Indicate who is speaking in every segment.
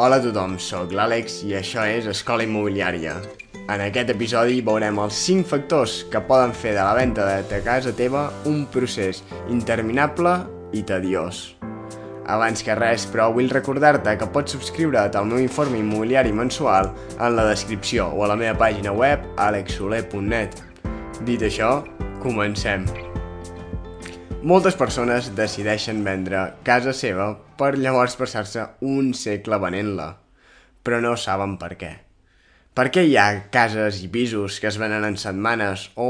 Speaker 1: Hola a tothom, sóc l'Àlex i això és Escola Immobiliària. En aquest episodi veurem els 5 factors que poden fer de la venda de casa teva un procés interminable i tediós. Abans que res, però, vull recordar-te que pots subscriure't al meu informe immobiliari mensual en la descripció o a la meva pàgina web alexsoler.net. Dit això, comencem. Moltes persones decideixen vendre casa seva per llavors passar-se un segle venent-la, però no saben per què. Per què hi ha cases i pisos que es venen en setmanes o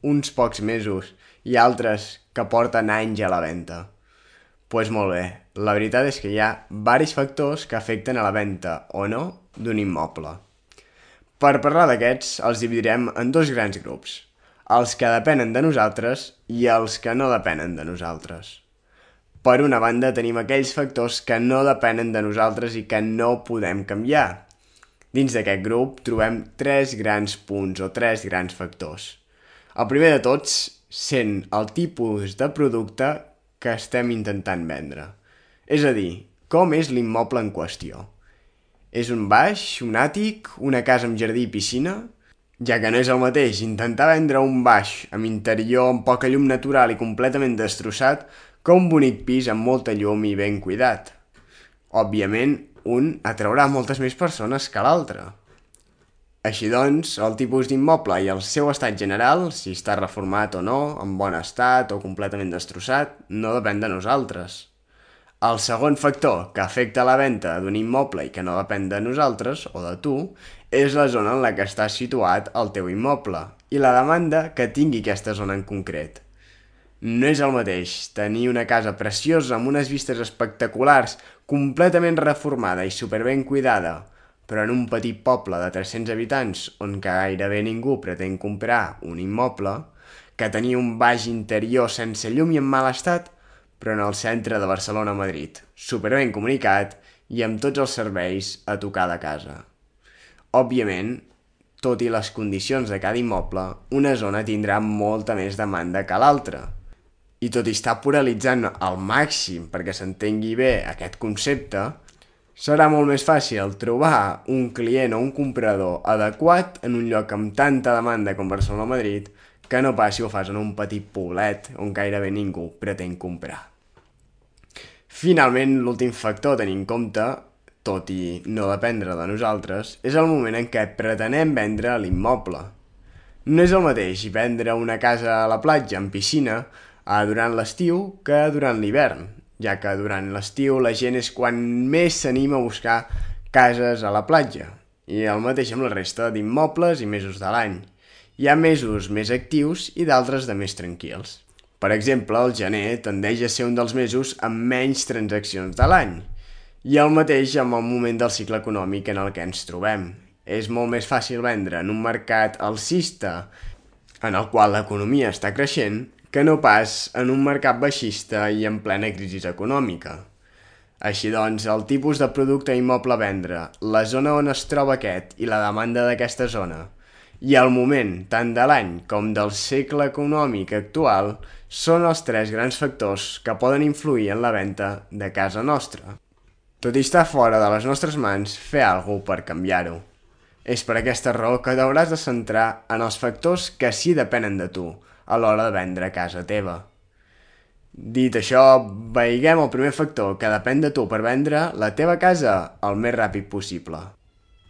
Speaker 1: uns pocs mesos i altres que porten anys a la venda? Doncs molt bé, la veritat és que hi ha diversos factors que afecten a la venda o no d'un immoble. Per parlar d'aquests, els dividirem en dos grans grups: els que depenen de nosaltres i els que no depenen de nosaltres. Per una banda, tenim aquells factors que no depenen de nosaltres i que no podem canviar. Dins d'aquest grup trobem 3 grans punts o 3 grans factors. El primer de tots sent el tipus de producte que estem intentant vendre. És a dir, com és l'immoble en qüestió. És un baix, un àtic, una casa amb jardí i piscina? Ja que no és el mateix intentar vendre un baix amb interior amb poca llum natural i completament destrossat que un bonic pis amb molta llum i ben cuidat. Òbviament, un atraurà moltes més persones que l'altre. Així doncs, el tipus d'immoble i el seu estat general, si està reformat o no, en bon estat o completament destrossat, no depèn de nosaltres. El segon factor que afecta la venda d'un immoble i que no depèn de nosaltres o de tu és la zona en la que està situat el teu immoble i la demanda que tingui aquesta zona en concret. No és el mateix tenir una casa preciosa amb unes vistes espectaculars, completament reformada i superben cuidada, però en un petit poble de 300 habitants on gairebé ningú pretén comprar un immoble, que tenir un baix interior sense llum i en mal estat, però en el centre de Barcelona o Madrid, superben comunicat i amb tots els serveis a tocar de casa. Òbviament, tot i les condicions de cada immoble, una zona tindrà molta més demanda que l'altra. I tot i estar pluralitzant al màxim perquè s'entengui bé aquest concepte, serà molt més fàcil trobar un client o un comprador adequat en un lloc amb tanta demanda com Barcelona o Madrid que no pas si ho fas en un petit poblet on gairebé ningú pretén comprar. Finalment, l'últim factor a tenir en compte, tot i no dependre de nosaltres, és el moment en què pretenem vendre l'immoble. No és el mateix vendre una casa a la platja amb piscina durant l'estiu que durant l'hivern, ja que durant l'estiu la gent és quan més s'anima a buscar cases a la platja, i el mateix amb la resta d'immobles i mesos de l'any. Hi ha mesos més actius i d'altres de més tranquils. Per exemple, el gener tendeix a ser un dels mesos amb menys transaccions de l'any. I el mateix amb el moment del cicle econòmic en el que ens trobem. És molt més fàcil vendre en un mercat alcista en el qual l'economia està creixent que no pas en un mercat baixista i en plena crisi econòmica. Així doncs, el tipus de producte immoble a vendre, la zona on es troba aquest i la demanda d'aquesta zona, i el moment tant de l'any com del segle econòmic actual són els 3 grans factors que poden influir en la venda de casa nostra. Tot i estar fora de les nostres mans, fer alguna cosa per canviar-ho. És per aquesta raó que t'hauràs de centrar en els factors que sí depenen de tu a l'hora de vendre casa teva. Dit això, veiguem el primer factor que depèn de tu per vendre la teva casa el més ràpid possible.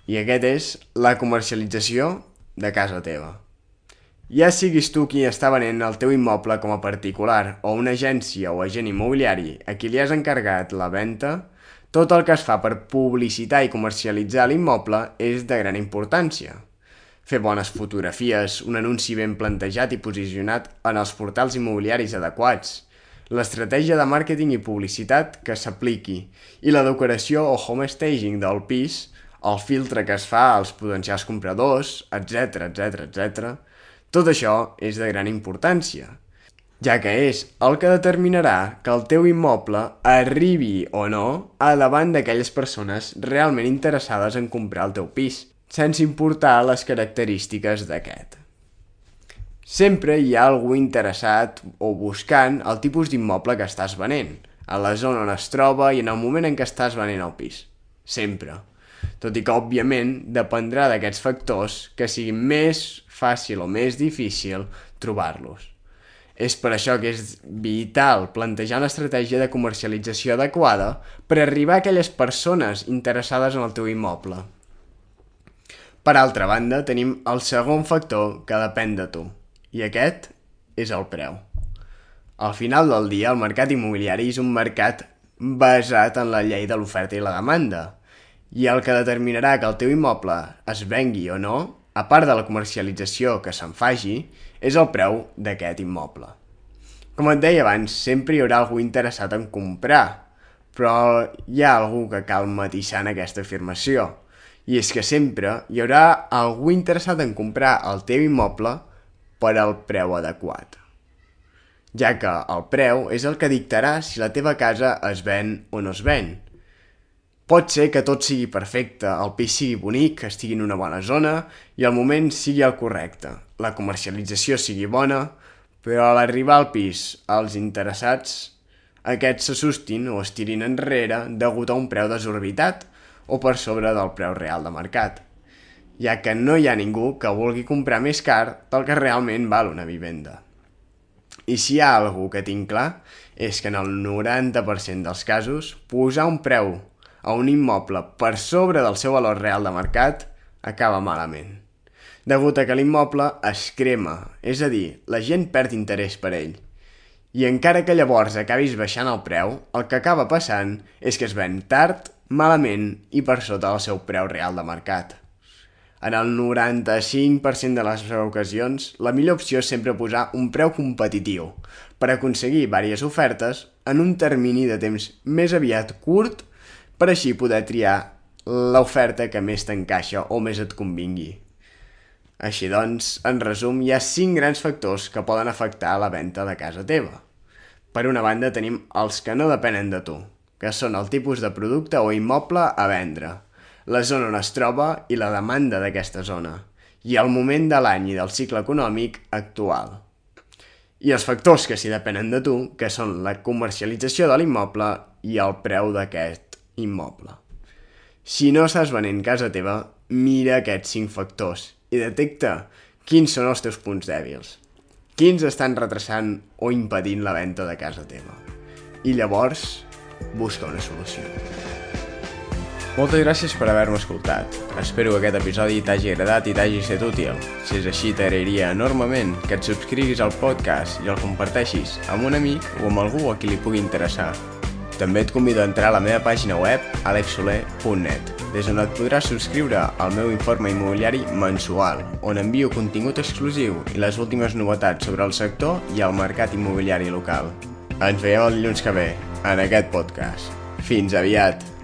Speaker 1: I aquest és la comercialització de casa teva. Ja siguis tu qui està venent el teu immoble com a particular o una agència o agent immobiliari a qui li has encarregat la venda, tot el que es fa per publicitar i comercialitzar l'immoble és de gran importància. Fer bones fotografies, un anunci ben plantejat i posicionat en els portals immobiliaris adequats, l'estratègia de màrqueting i publicitat que s'apliqui i la decoració o home staging del pis, el filtre que es fa als potencials compradors, etc. Tot això és de gran importància, ja que és el que determinarà que el teu immoble arribi o no a davant d'aquelles persones realment interessades en comprar el teu pis, sense importar les característiques d'aquest. Sempre hi ha algú interessat o buscant el tipus d'immoble que estàs venent, a la zona on es troba i en el moment en què estàs venent el pis. sempre. Tot i que, òbviament, dependrà d'aquests factors que sigui més fàcil o més difícil trobar-los. És per això que és vital plantejar una estratègia de comercialització adequada per arribar a aquelles persones interessades en el teu immoble. Per altra banda, tenim el segon factor que depèn de tu, i aquest és el preu. Al final del dia, el mercat immobiliari és un mercat basat en la llei de l'oferta i la demanda, i el que determinarà que el teu immoble es vengui o no, a part de la comercialització que se'n faci, és el preu d'aquest immoble. Com et deia abans, sempre hi haurà algú interessat en comprar, però hi ha algú que cal matisar en aquesta afirmació, i és que sempre hi haurà algú interessat en comprar el teu immoble per al preu adequat, ja que el preu és el que dictarà si la teva casa es ven o no es ven. Pot ser que tot sigui perfecte, el pis sigui bonic, estigui en una bona zona i el moment sigui el correcte, la comercialització sigui bona, però a l'arribar al pis, els interessats, aquests s'assustin o es tirin enrere degut a un preu desorbitat o per sobre del preu real de mercat, ja que no hi ha ningú que vulgui comprar més car del que realment val una vivenda. I si hi ha algú que tinc clar, és que en el 90% dels casos, posar un preu a un immoble per sobre del seu valor real de mercat acaba malament, degut a que l'immoble es crema, és a dir, la gent perd interès per ell. I encara que llavors acabis baixant el preu, el que acaba passant és que es ven tard, malament i per sota del seu preu real de mercat. En el 95% de les ocasions, la millor opció és sempre posar un preu competitiu per aconseguir diverses ofertes en un termini de temps més aviat curt per així poder triar l'oferta que més t'encaixa o més et convingui. Així doncs, en resum, hi ha 5 grans factors que poden afectar la venda de casa teva. Per una banda tenim els que no depenen de tu, que són el tipus de producte o immoble a vendre, la zona on es troba i la demanda d'aquesta zona, i el moment de l'any i del cicle econòmic actual. I els factors que sí depenen de tu, que són la comercialització de l'immoble i el preu d'aquest immoble. Si no estàs venent casa teva, mira aquests 5 factors i detecta quins són els teus punts dèbils, quins estan retrasant o impedint la venda de casa teva. I llavors, busca una solució. Moltes gràcies per haver-me escoltat. Espero que aquest episodi t'hagi agradat i t'hagi estat útil. Si és així, t'agrairia enormement que et subscriguis al podcast i el comparteixis amb un amic o amb algú a qui li pugui interessar. També et convido a entrar a la meva pàgina web alexsoler.net, des on et podràs subscriure al meu informe immobiliari mensual, on envio contingut exclusiu i les últimes novetats sobre el sector i el mercat immobiliari local. Ens veiem el dilluns que ve, en aquest podcast. Fins aviat!